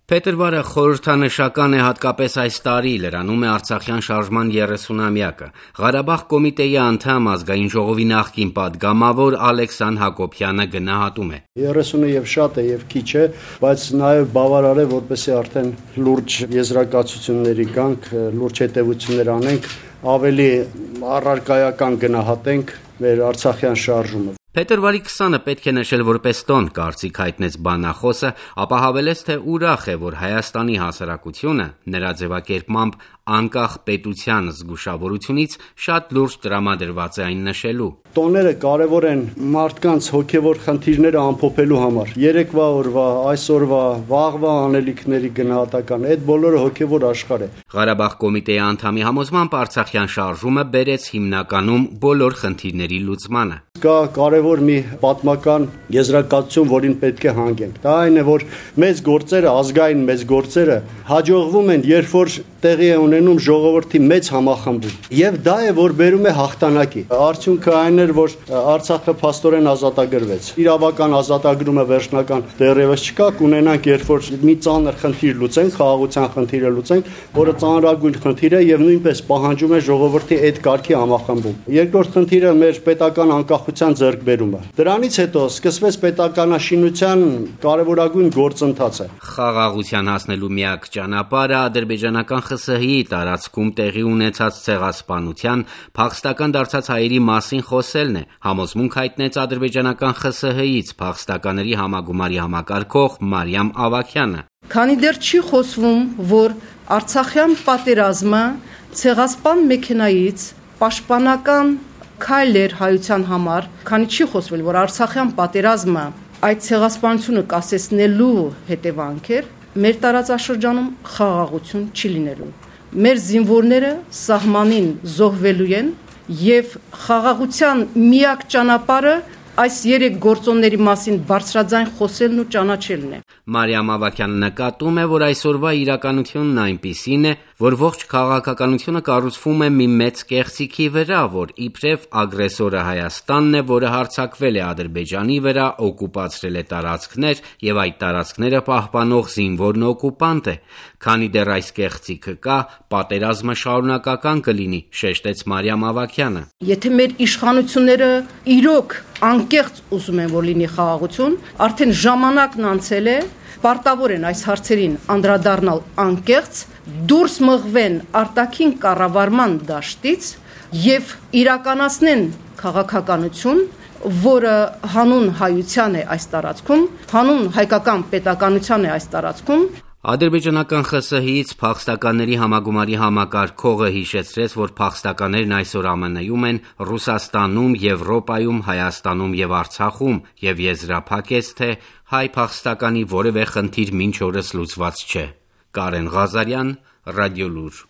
Փետրվարը խորհրդանշական է հատկապես այս տարի, լրանում է Արցախյան շարժման 30-ամյակը։ Ղարաբաղ կոմիտեի անդամ Ազգային ժողովի նախկին պատգամավոր Ալեքսան Հակոբյանը գնահատում է. 30-ը եւ շատ է եւ քիչ է, բայց նաեւ բավարար է, որպեսզի արդեն լուրջ եզրակացությունների գանք, լուրջ հետևություններ անենք, ավելի առարկայական գնահատենք մեր Արցախյան շարժումը։ Փետրվարի 20-ը պետք է նշել որպես տոն, կարծիք հայտնեց բանախոսը, ապա հավելեց, թե ուրախ է, որ Հայաստանի հասարակությունը նրա ձևակերպմամբ անկախ պետության զգուշավորությունից շատ լուրջ տրամադրված է այն նշելու. Տոները կարևոր են մարդկանց հոգևոր խնդիրները ամփոփելու համար։ Երեկվա օրվա, այսօրվա, վաղվա անելիքների գնահատական, այդ բոլորը հոգևոր աշխարհ է։ Ղարաբաղ կոմիտեի անդամի համոզմամբ Արցախյան շարժումը բերեց հիմնականում բոլոր խնդիրների լուծմանը։ Կա կարևոր մի պատմական եզրակացություն, որին պետք է հանգենք։ Դա այն է, որ մեծ գործերը, ազգային մեծ գործերը հաջողվում են, երբ որ տեղի է ունենում ժողովրդի մեծ համախմբում։ Եվ դա է, որ բերում է հաղթանակի։ Արդյունքը այն էր, որ Արցախը փաստորեն ազատագրվեց։ Իրավական ազատագրումը վերջնական դեռևս չկա, կունենանք, երբ որ մի ծանր խնդիր լուծենք, խաղաղության խնդիրը լուծենք, որը ծանրագույն խնդիր է եւ նույնպես պահանջում է ժողովրդի այդ կարգի համախմբում։ Երկրորդ խնդիրը մեր պետական անկախության ձեռքբերումը։ Դրանից հետո սկսվեց պետականաշինության կարևորագույն գործընթացը։ Խաղաղության հասնելու միակ ճանապարհը ադրբեջանական ԽՍՀ-ի տարածքում տեղի ունեցած ցեղասպանության, փախստական դարձած հայերի մասին խոսելն է, համոզմունք հայտնեց ադրբեջանական ԽՍՀ-ից փախստականների համագումարի համակարգող Մարիամ Ավագյանը։ Քանի դեռ չի խոսվում, որ Արցախյան պատերազմը ցեղասպան մեքենայից պաշտպանական քայլ էր հայության համար, քանի չի խոսվել, որ Արցախյան պատերազմը այդ ցեղասպանությունը կասեցնելու հետևանք էր, մեր տարածաշրջանում խաղաղություն չի լինելու։ Մեր զինվորները սահմանին զոհվելու են եւ խաղաղության միակ ճանապարհը այս երեք գործոնների մասին բարձրաձայն խոսելն ու ճանաչելն է։ Մարիամ Ավագյանը նկատում է, որ այսօրվա իրականությունն այնպիսին է, որ ողջ քաղաքականությունը կառուցվում է մի մեծ կեղծիքի վրա, որ իբրև ագրեսորը Հայաստանն է, որը հարձակվել է Ադրբեջանի վրա, օկուպացրել է տարածքներ եւ այդ տարածքները պահպանող զինվորն օկուպանտ է։ Քանի դեռ այս կեղծիքը կա, պատերազմը շարունակական կլինի, շեշտեց Մարիամ Ավագյանը։ Եթե մեր իշխանությունները իրոք անկեղծ ուզում են, որ լինի խաղաղություն, արդեն ժամանակն անցել է, պարտավոր են այս հարցերին անդրադառնալ անկեղծ, դուրս մղվեն արտաքին կառավարման դաշտից եւ իրականացնեն քաղաքականություն, որը հանուն հայության է այս տարածքում, հանուն հայկական պետականության է այս տարածքում։ Ադրբեջանական ԽՍՀ-ից փախստականների համագումարի համակարգողը հիշեցրեց, որ փախստականներն այսօր ԱՄՆ-ում են, Ռուսաստանում, Եվրոպայում, Հայաստանում եւ Արցախում եւ եզրափակեց, թե հայ փախստականի որևէ խնդիր մինչ օրս լուծված չէ։ Կարեն Ղազարյան, Ռադիոլուր։